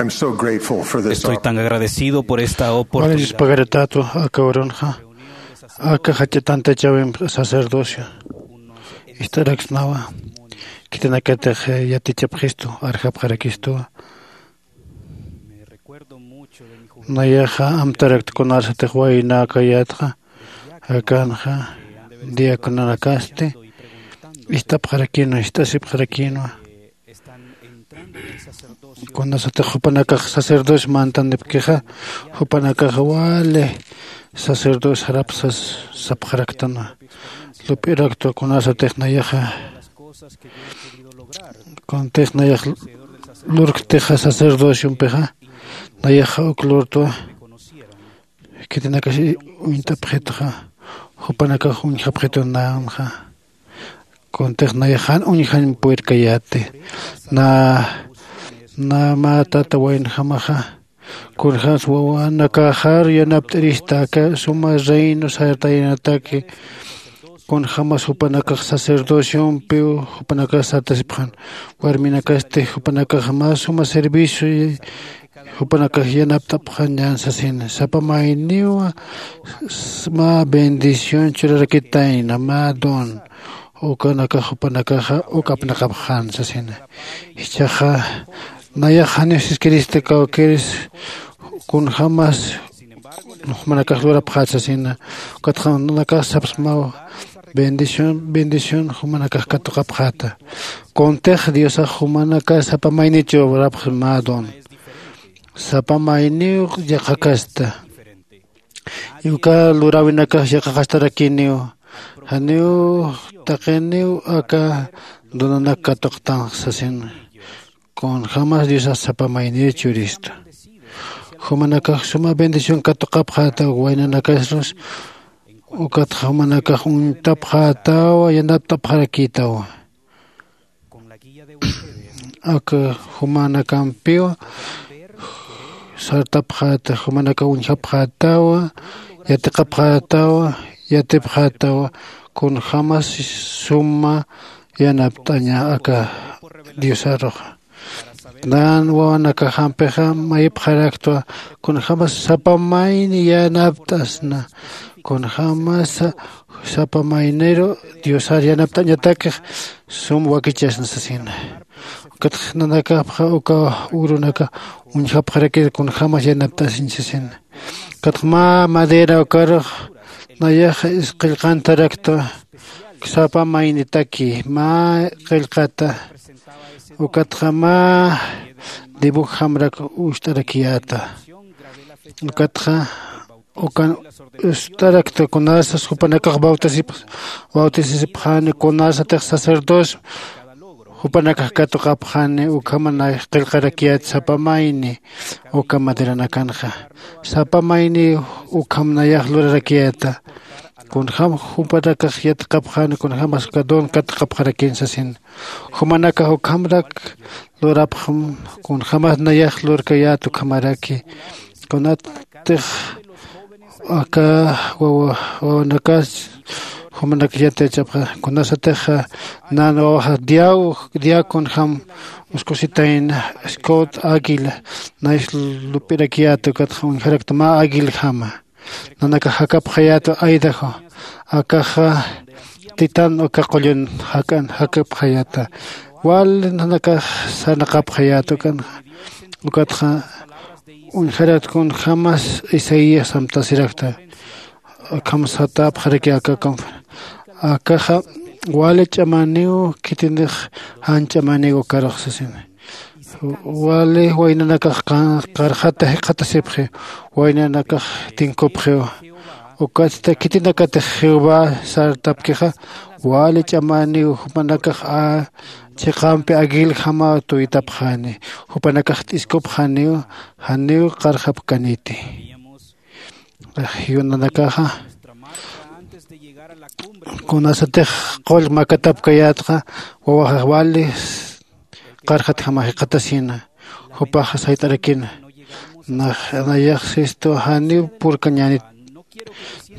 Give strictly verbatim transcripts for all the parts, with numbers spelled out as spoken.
I'm so grateful for this Estoy tan opportunity. Agradecido por esta oportunidad. Wali dispagaratätwa aka urunxa aka jach'a tantachawimp sacerdocio ist'araksnawa. Khitinakatix yatichapxistu arjapxarakistuwa. Nayaxa amtarakta kunasatix waynäkayätxa akanxa diaconanakasti ist'apxarakinwa ist'asipxarakinwa. Kunasatix jupanakax sacerdocio mantanipkixa jupanakaxa wali sacerdocio sarapsas sapxaraktanwa. Lup'iraktwa kunasatix nayaxa kuntix nayax lurktixa sacerdociompixa nayaxa uk lurtwa. Khitinakax uñt'apxitxa jupanakax uñjapxitwa nanxa. Kuntix nayax jan uñjañ purirkayäti na na mä tata waynjamaxa kunjämsa wawanakaxar yanapt'irista aka suma reino sartayanataki. Kunjämas jupanakax sacerdociompiw jupanakax sartasipxän warminakasti jupanakax mä suma servicio jupanakax yanapt'apxän ñan sasina sapa mayniw mä bendición churarakitayna mä don ukanakax jupanakaxa uk apnaqapxän sasina. Jichhaxa nayax janiw siskirista kawkiris kunjämas jumanakax lurapxät sasina. Ukatxa nanakax sapsmaw bendición bendición jumanakax katuqapxäta. Kuntix diosax jumanakax sapa maynichu lurapxi mä don sapa mayniw yaqhakasta. Uka luräwinakax yaqhaqastarakiniw janiw taqiniw aka donanak katuqtanx sasin. Kunjämas diosax sapa mayniw churistu jumanakax suma bendición katuqapxätaw waynanakasrus. Ukatxa jumanakax uñtapxätawa yanapt'apxarakïtawa. Aka jumanakampiw sartapxäta jumanakax uñjapxätawa yatiqapxätawa yatipxätawa. Kunjämas suma yanapt'aña aka diosaruxa nan wawanakajampixa mayipxaraktwa kunjämas sapa mayni yanapt'asna. Kunjämas sapa mayniru diosar yanapt'añatakix sum wakichasna sasina. Ukatx nanakapxa uka urunaka uñjapxarakir kunjämas yanapt'asiñ sasina. Ukatx mä madera ukarux nayaxa isqillqantaraktwa sapa maynitaki mä qillqata. Ukatxa mä dibujjamrak ucht'arakiyäta. Ukatxa ukan ucht'arakta kunasas jupanakax bautisasipxani kunasatix sacerdocio jupanakax katuqapxani ukham nayax qillqarakiyät sapa mayni uka maderanakanxa sapa mayni ukham nayax lurarakiyäta. Kunjäm jupanakax yatiqapxani kunjämas uka don katuqapxarakin sasin. Jumanakax ukhamrak lurapxam kunjämas nayax lurkayät ukhamaraki. Kunatix aka wawa wawanakas jumanak yatichapxa kunasatix nan wawaxa diaw diaw kunjäm uskusitayna scott águila nayax lup'irakiyät ukatxa uñjarakta mä águiljama. Nanakax jakapxayäta aidajo akaxa titan uka qullun jak'an jakapxayäta. Wal nanakax sarnaqapxayäta ukanxa ukatxa uñjarakta kunjämas isaías amtasirakta. Akham satäpxaraki aka confer akaxa wali ch'amaniw khitinix jan ch'amaniw ukarux sasina. Wali waynanakax qarxata jikxatasipxi waynanakax tinkupxiw. Ukatsta khitinakatix jehová sartapkixa wali ch'amaniw jupanakax chiqampi aguiljamaw tuytapxani. Jupanakax t'iskupxaniw janiw qarxapkaniti. Jiw nanakaxa kunasatix qull makatapkayätxa wawaxax wali qarxatjama jikxatasina. Jupaxa sayt'arakina nayax sistu janiw purkañänit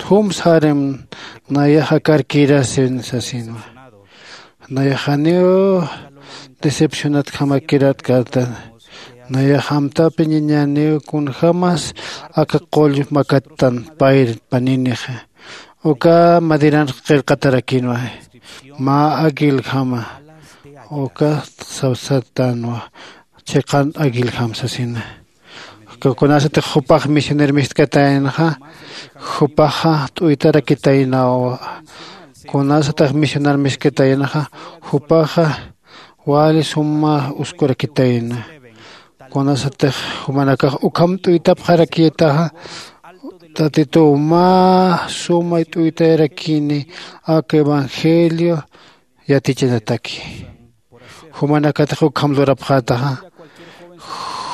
jum sarim nayax akarkirasin sasinwa. Nayax janiw decepcionatjamakirätkäta. Nayax amtapi ñañäniw kunjämas aka qull makattan payr paninixa. Uka madiranx qillqatarakinwa mä aguiljama. Uka sawsatänwa chiqan aguiljam sasina. Kunasatix jupax misioner mistkataynaxa jupaxa t'uytarakitaynawa. Kunasatix misioner mistkataynaxa jupaxa wali suma uskurakitayna. Kunasatix jumanakax ukham t'uytapxarakïtaxa tatituw mä suma t'uytayarakini aka evangelio yatichanataki. Jumanakatix ukham lurapxätaxa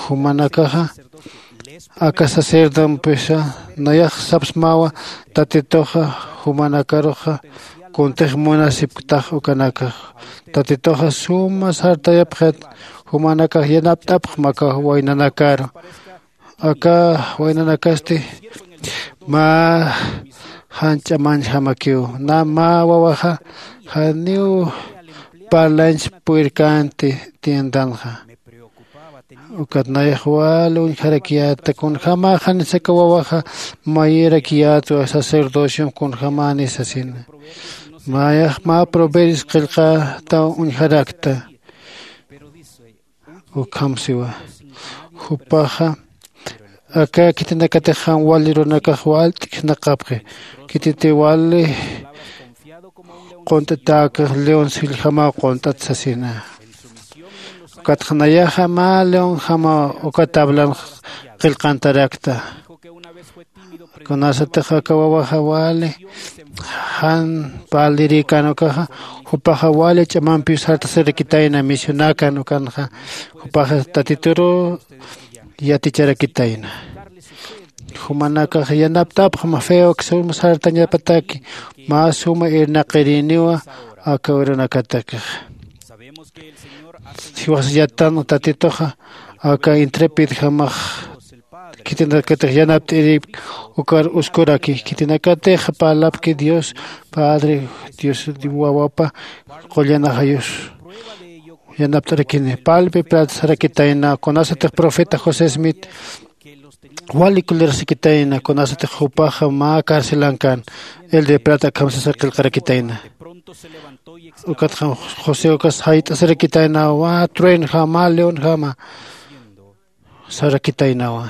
jumanakaxa aka sacerdompisa nayax sapsmawa tatituxa jumanakaruxa kuntix munasipktax ukanakax tatituxa suma sartayapxit. Jumanakax yanapt'apxma aka waynanakaru aka waynanakasti mä jan ch'amañjamakiw. Na mä wawaxa janiw parlañch puyrkänti tiendanxa. Ukat nayax wal uñjarakiyäta kunjämäxanis aka wawaxa mayirakiyätwa sacerdociom kunjämäni sasina. Mayax mä proverbios qillqätaw uñjarakta. Ukham siwa jupaxa aka khitinakatix jan wali runakax wal t'ikhnaqapxi. Khititi wali qunt'atäkax leon silljamaw qunt'at sasina. Ukatxa nayaxa mä leonjamaw uka tablanx qillqantarakta. Kunasatix aka wawaxa wali jan parlirïkän ukaxa jupaxa wali ch'amampiw sartasirakitayna misionakan ukanxa jupaxa tatituru yaticharakitayna. Jumanakax yanapt'apxma feok suma sartañapataki mä suma irnaqirïniwa aka urunakatakix. Jiwas yattan tatituxa aka intrepidjamax khitinakatix yanapt'irïpk ukar uskuraki khitinakatix parlapki dios padre dios wawapa qullan ajayus yanapt'arakini. Palpi plat sarakitayna kunasatix profeta josé smith wali kulirasikitayna kunasatix jupaxa mä carcelankan el de plata akham sasa qillqarakitayna. Ukatxa josé ukas jayt'asirakitaynawa truenjama leonjama sarakitaynawa.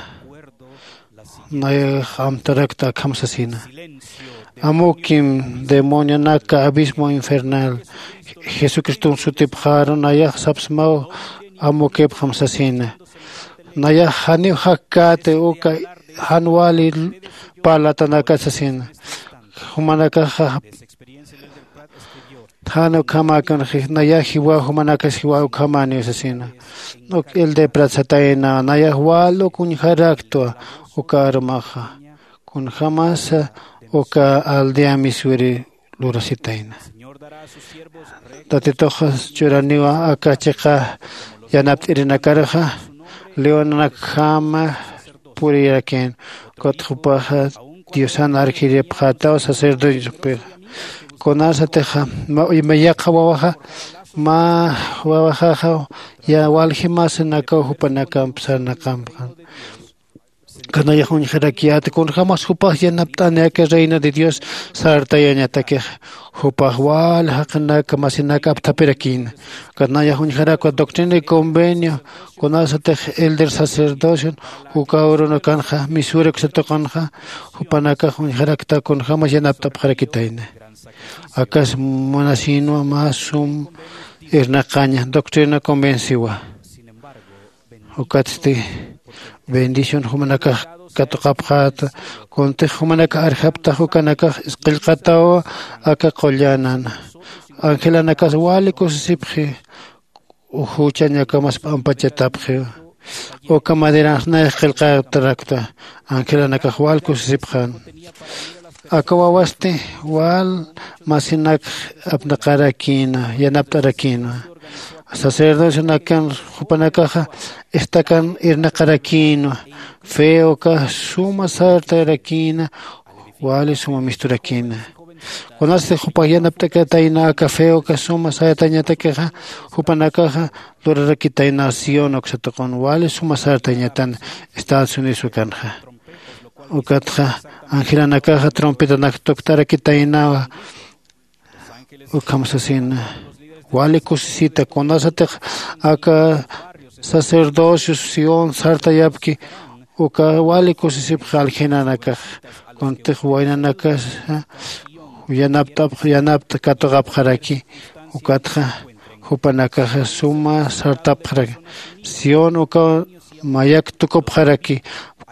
Nayax amtarakta akham sasina amukim demonionaka abismo infernal jesucristom sutipxaru nayax sapsmaw amukipxam sasina. Nayax janiw jakkäti uka jan wali parlatanaka sasina. Jumanakaxa jan ukhamäkanxi nayax jiwa jumanakas jiwa ukhamäniw sasina. Uk el de prat satayna nayax wal uk uñjaraktwa uka arumaxa kunjämasa uka aldea misuri lurasitayna. Tatituxa churaniwa aka chiqa yanapt'irinakaruxa leonanakjama purirakïn. Ukatxa jupaxa diosan arjiripxätaw sacerdotepixa kunasatixa yaqha wawaxa mä wawaxaxa ya walji masinakaw jupanakamp sarnaqampxan. Kanayax uñjarakiyäti kunjämas jupax yanapt'ani aka reino de dios sartayañatakixa jupax wal jaqinaka masinak apthapirakïna. Kanayax uñjarakwa doctrina y convenio kunasatix elder sacerdocion uka urunakanxa misura kusatuqanxa jupanakax uñjarakta kunjämas yanapt'apxarakitayna. Akas munasïnwa mä sum irnaqaña doctrina convenciwa. Ukatsti bendición jumanakax katuqapxäta kuntix jumanakax arjaptax ukanakax isqillqatawa aka qullanana. Angelanakas wali kusisipxi juchañakamas p'ampachatapxiwa. Uka maderanx nayax qillqatarakta angelanakax wal kusisipxän. Aka wawasti wal masinakx apnaqarakïna yanapt'arakïna. Sacerdocionakan jupanakaxa istakan irnaqarakïna fe uka suma sartarakïna. Wali suma misturakïna Kunasti jupax yanapt'akatayna aka feo aka suma sartañatakixa, jupanakaxa lurarakitayna Sión uksa tuqun wali suma sartañatan Estados Unidos ukanxa. Ukatxa angelanakaxa trompetanak tukt'arakitaynawa. Ukham sasina wali kusisita kunasatix aka sacerdocio Sión sartayapki uka wali kusisipxa aljinanakax. Kuntix waynanakasa yanapt'apx yanapt'a katuqapxaraki. Ukatxa jupanakaxa suma sartapxaraki Sión uka mayak tukupxaraki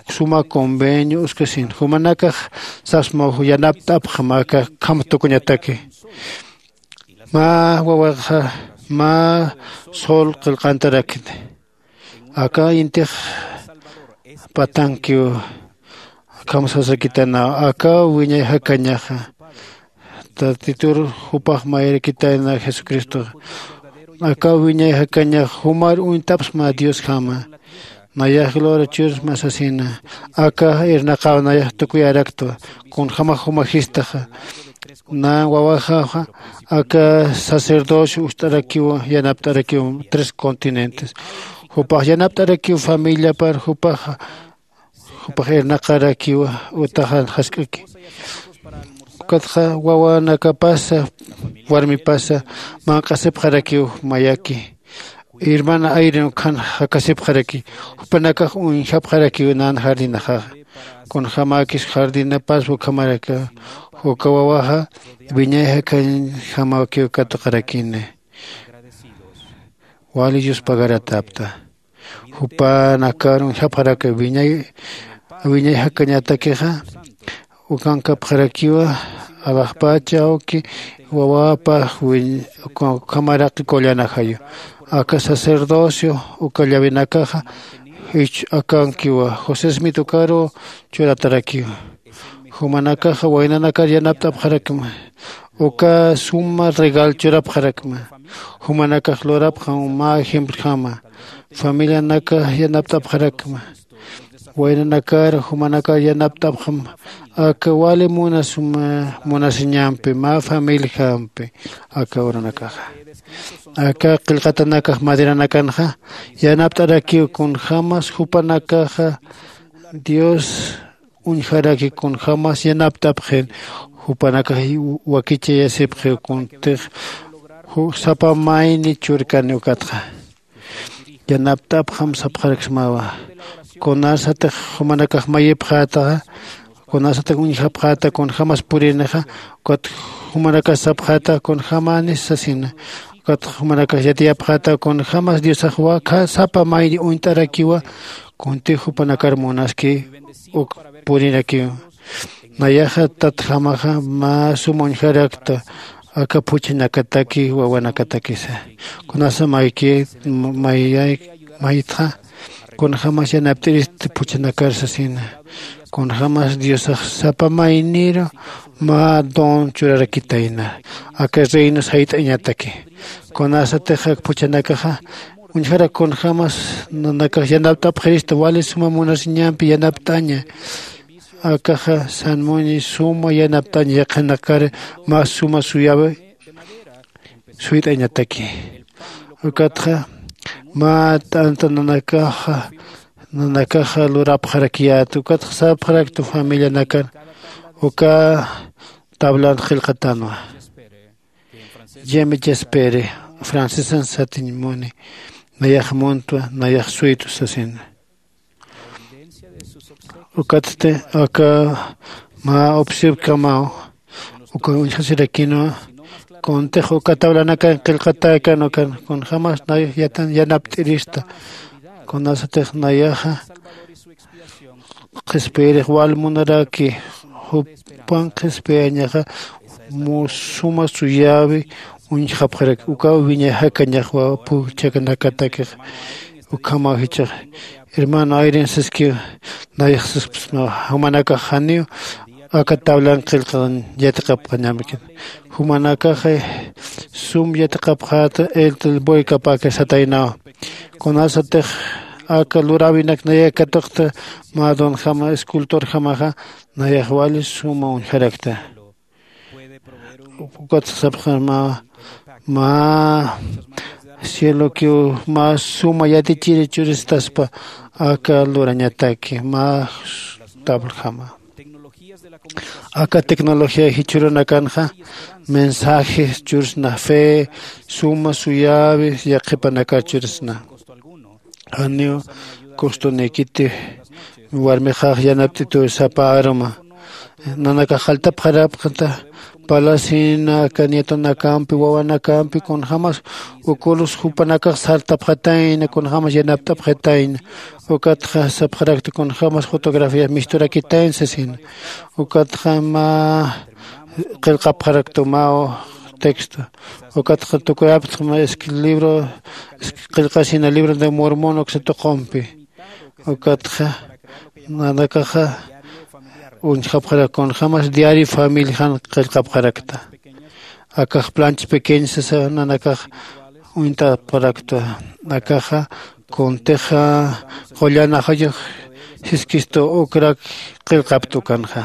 suma convenio uskasin jumanakax sasma yanapt'apxam aka kham tukuñataki. Mä wawaxa mä sol qillqantarakini aka intix patankiw. Akham sasakitanaw aka wiñay jakañaxa tatitur jupax mayarakitayna jesucristoxa. Aka wiñay jakañax jumar uñt'apsma diosjama. Nayax lura chursma sasina aka irnaqaw nayax tukuyaraktwa kunjämax jumajistaxa. Nä wawaxaxa aka sacerdocio ust'arakiw yanapt'arakiw tres continentes. Jupax yanapt'arakiw familiapar jupaxa jupax irnaqarakiw utaxan jask'aki. Ukatxa wawanakapasa warmipasa manq'asipxarakiw mayaki. Hermana ayrin ukhan jakasipxaraki jupanakax uñjapxarakiw nan jardinaxaxa. Kunjämäkis jardinapas ukhamaraka uka wawaxa wiñay jakañjamakiw katuqarakini. Wali yuspagaratapta jupanakar uñjapxaraka wiñay wiñay jakañatakixa. Ukankapxarakiwa alaxpacha awki wawapax ukhamaraki kullanajayu. Aka sacerdocio uka llavinakaxa jich akankiwa josé smith ukaru churatarakiwa. Jumanakaxa waynanakar yanapt'apxarakma uka suma regal churapxarakma. Jumanakax lurapxam mä ejempljama familianakax yanapt'apxarakma. Waynanakar jumanakar yanapt'apxam aka wali munasuma munasiñampi mä familijampi. Aka uranakaxa aka qillqatanakax maderanakanxa yanapt'arakiw kunjämas jupanakaxa dios uñjaraki kunjämas yanapt'apxin. Jupanakax wakichayasipxiw kuntix sapa mayni churkani ukatxa yanapt'apxam sapxaraksmawa. Kunasatix jumanakax mayipxätaxa kunasatix uñjapxäta kunjämas purinixa ukat jumanakax sapxäta kunjämanis sasina. Ukat jumanakax yatiyapxäta kunjämas diosax wakha sapa mayni uñt'arakiwa. Kuntix jupanakar munaski uk purirakiwa. Nayaxa tatjamaxa mä sum uñjarakta aka phuchhanakataki wawanakatakisa. Kunasa mayki mayay maytxa kunjämas yanapt'irista phuchhanakar sasina. Kunjämas diosax sapa mayniru mä don churarakitayna aka reino sayt'añataki. Kunasatix ak phuchhanakaxa uñjarak kunjämas nanakax yanapt'apxirista wali suma munasiñampi yanapt'aña. Akaxa sanmuñi suma yanapt'aña yaqhanakar mä suma suyawi suyt'añataki. Ukatxa mä t'anta nanakaxa nanakaxa lurapxarakiyät ukatxa sapxarakta familianakar uka tablan qillqatanwa. Yeme chespere francesan satiñ muni nayax muntwa nayax suytu sasina. Ukatsti aka mä upsipkamaw uka uñjasirakinwa. Kuntix uka tablanakan qillqatäkan ukan kunjämas nayax yatan yanapt'irista. Kunasatix nayaxa qhispiyirix wal munaraki jupan qhispiyañaxa suma suyäwi uñjapxarak ukaw wiñay jakañaxwa phuchhanakatakixa. Ukhamaw jichhax hermano ayrin saskiw nayax saspsnaw jumanakax janiw aka tablan qillqan yatiqapxañamkin. Jumanakaxa sum yatiqapxäta eltel boykapaka sataynaw. Kunasatix aka luräwinak nayay katuqta mä donjama escultorjamaxa nayax wali suma uñjarakta. Ukat sapxan mä mä cielokiw mä suma yatichiri churistaspa aka lurañataki mä tabljama. Aka tecnología jichhürunakanxa mensajes chursna fe suma suyäwi yaqhipanakar chursna. Janiw costonikiti warmixax yanapt'ituw sapa aruma nanakax jaltapxarapxta. Palasina aka nietonakampi wawanakampi kunjämas ukulus jupanakax sartapxatayna kunjämas yanapt'apxatayna. Ukatxa sapxarakta kunjämas fotografías misturakitayna sasina. Ukatxa mä qillqapxarakta mä texto. Ukatxa tukuyapxta mä libro qillqasina libro de mormón uksa tuqumpi. Ukatxa nanakaxa uñjapxarak kunjämas diario familijan qillqapxarakta. Akax plancha pequeña sasa nanakax uñt'apxarakta. Akaxa kuntixa qullan ajayux siskistu ukrak qillqapta ukanxa.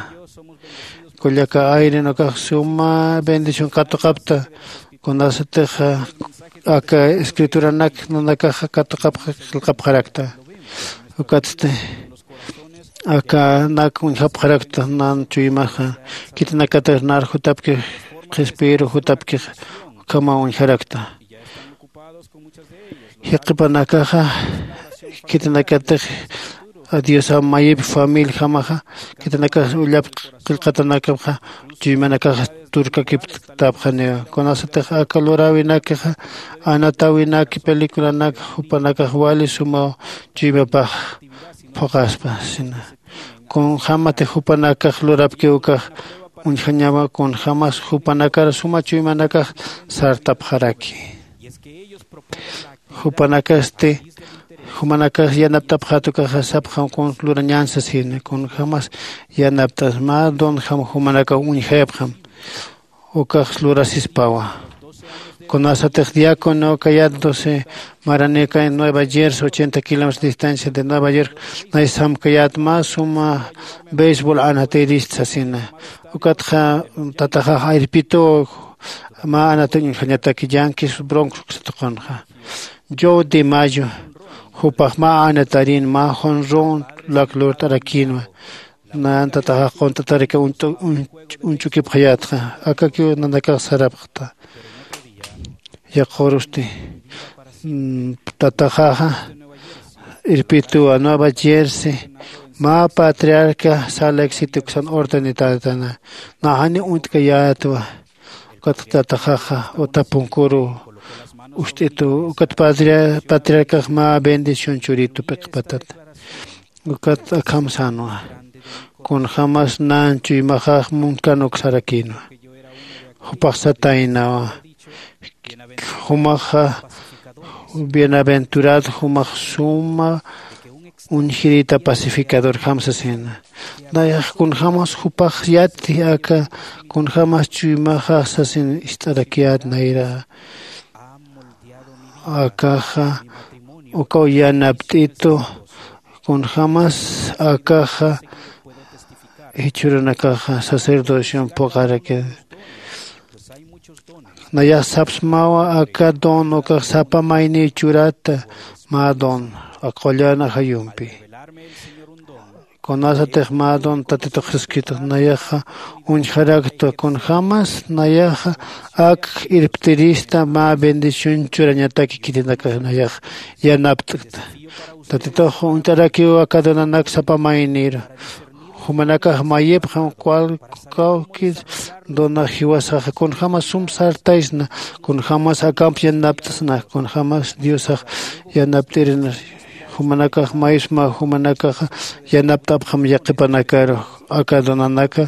Kullaka ayrin akax suma bendición katuqapta. Kunasatix aka escrituranak nanakaxa katuqapxa qillqapxarakta. Ukatsti akanak uñjapxarakta nan chuymaxa khitinakatix nar jutapkix qhispiru jutapkix ukhama uñjarakta. Yaqhipanakaxa khitinakatix diosa mayip familijamaxa khitinakax ullap qillqatanakapxa chuymanakaxa turkakiptapxaniwa. Kunasatix aka luräwinakixa anatäwinaki peliculanak jupanakax wali sumaw chuymapax phuqaspa sina. Kunjämatix jupanakax lurapkiw ukax uñjañama kunjämas jupanakar suma chuymanakax sartapxaraki. Jupanakasti jumanakax yanapt'apxät ukaxa sapxam kun lurañän sasina kunjämas yanapt'as mä donjam jumanakaw uñjayapxam. Ukax lurasispawa. Kunasatix diácono kayät doce maraneka en nueva jersey ochenta kilómetros distancia de nueva york naysam kayät mä suma béisbol anatirist sasina. Ukatxa tataxax irpituw mä anatañ uñjañataki yankees broncos uksa tuqunxa. Joe de mayo jupax mä anatarin mä jonron lak lurt'arakinwa. Nan tataxax qunt'ataraki uñch'ukipxayätxa. Akakiw nanakax sarapxta. Yaqhurusti tataxaxa irpituwa nueva jersey mä patriarca sala exit uksan ordenitaytana. Naxani uñt'kayätwa. Ukat tataxaxa utapunkuru ust'itu ukat patriarcax mä bendición churitu p'iqpatat. Ukat akham sänwa kunjämas nan chuymaxax munkan uksarakïnwa. Jupax sataynawa jumaxa bienaventurado jumax suma uñjirita pacificadorjam sasina. Nayax kunjämas jupax yati aka kunjämas chuymaxax sasin ist'arakiyät nayra. Akaxa ukaw yanapt'itu kunjämas akaxa jichhürunakaxa sacerdocion phuqarakit. Nayax sapsmawa aka don ukax sapa mayniw churata mä don aka qullan ajayumpi. Kunasatix mä don tatitux siskitux nayaxa uñjarakta kunjämas nayaxa ak irptirista mä bendición churañataki khitinakax nayax yanapt'kta. Tatitux uñt'arakiw aka donanak sapa maynïru. Jumanakax mayipxam cual kawkir dona jiwasaxa kunjämas sum sartaysna kunjämas akamp yanapt'sna kunjämas diosax yanapt'irina. Jumanakax maysma jumanakaxa yanapt'apxam yaqhipanakaru aka donanaka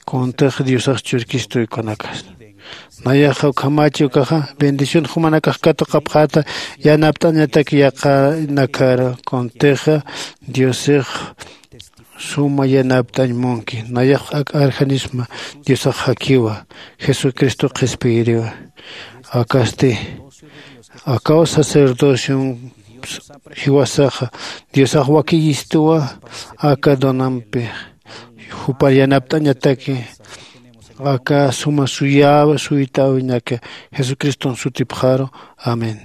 kuntix diosax churkistuy kunakax. Nayaxa ukhamachi ukaxa bendición jumanakax katuqapxäta yanapt'añatak yaqhanakaru kuntixa diosix suma yanapt'añ munki. Nayax ak arjanisma diosax jakiwa jesucristo qhispiyiriwa. Akasti akaw sacerdocion jiwasaxa diosax wakiyistuwa aka donampi jupar yanapt'añataki aka suma suyäwi suytäwinak jesucriston sutipxaru. Amén.